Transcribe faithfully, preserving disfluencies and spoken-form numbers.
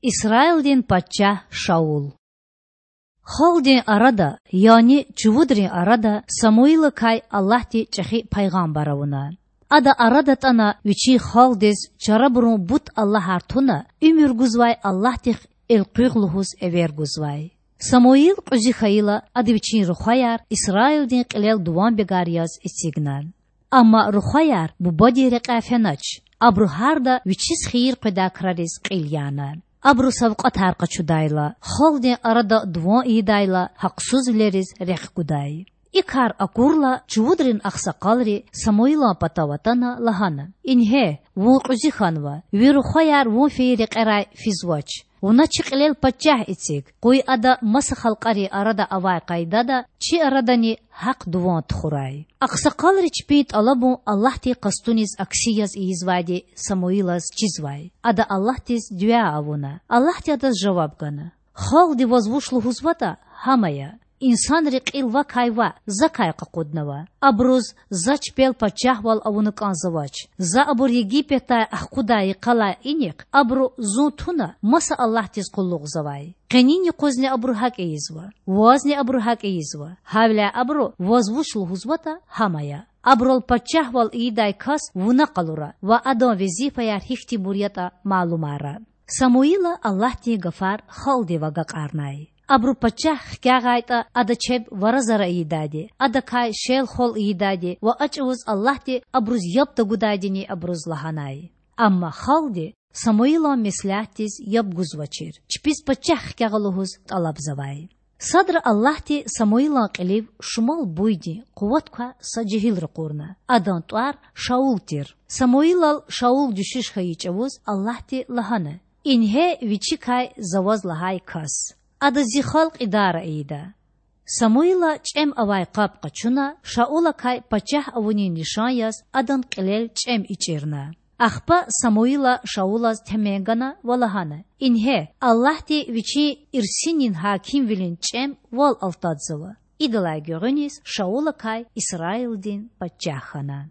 Исраилдин пачагь Шаул. Халкьдин арада, яни чувудрин арада Самуилакай Аллагьди чІехи пайгъамбар авуна. Ада ара датІана вичин халкьдиз чарабурун бут-аллагьар туна, уьмуьр гузвай Аллагьдихъ элкъуьгъ лугьуз эвер гузвай. Самуил кьуьзуь хьайила, ада вичин рухваяр Исраилдин кьилел дуванбегар яз эцигна. Амма рухваяр бубадин рекьяй фенач, абуру гьарда вичиз хийир къведай крариз кьил яна. Абуру савкьватар къачудайла, халкьдин арада дуван ийидайла, гьахъсузвилериз рехъ гудай. И кар акурла, чувудрин агъсакъалри Самуилан патав атана лагьана: Ингье, вун кьуьзуь хьанва, ви рухваяр вун фейи рекьерай физвач. Вуна чи кьилел пачагь эциг, къуй ада маса халкьарин арада авай къайдада чи арадани гьахъ-дуван тухурай. Агъсакъалри чпин тІалабун Аллагьдин къастуниз акси яз ийизвайди Самуилаз чизвай. Ада Аллагьдиз дуьа авуна. Аллагьди адаз жаваб гана: Халкьди ваз вуч лугьузватІа, гьам ая. Инсанри кьил вакай ваъ, закай къакъуднава. Абуруз за чпел пачагьвал авуна кІанзавач. За абур Египетдай ахкудай йикъалай инихъ абуру зун туна маса аллагьдиз къуллугъзавай. Къенин юкъузни абуру гьакІ ийизва, вазни абуру гьакІ ийизва. Гьавиляй абуру ваз вуч лугьузватІа, гьам ая. Абурал пачагьвал ийидай кас вуна къалура ва адан везифаяр гьихьтинбур ятІа малумара. Самуила Аллагьдин гафар халкьдив агакьарнай. Абуру пачагь хкягъайтІа, ада чеб вара-зара ийидайди, адакай шел-хвал ийидайди ва а чІавуз Аллагьди абуруз яб тагудайдини абуруз лагьанай. Амма халкьди Самуилан меслятдиз яб гузвачир, чпиз пачагь хкягъа лугьуз тІалабзавай. Садра Аллагьди Самуилан кьилив шумал буйдин, къуват квай са жегьил ракъурна. Адан тІвар Шаул тир. Самуилал Шаул дуьшуьш хьайи чІавуз Аллагьди лагьана: Ингье вичикай За ваз лагьай кас. Ада Зи халкь идара ийида. Самуила чІем авай къаб къачуна, Шаулакай пачагь авунин лишан яз адан кьилел чІем ичІирна. Ахпа Самуила Шаулаз темен гана ва лагьана: Ингье, Аллагьди Вичин ирсинин гьакимвилин чІем вал алтадзава. Идалай гуьгъуьниз Шаулакай Исраилдин пачагь хьана.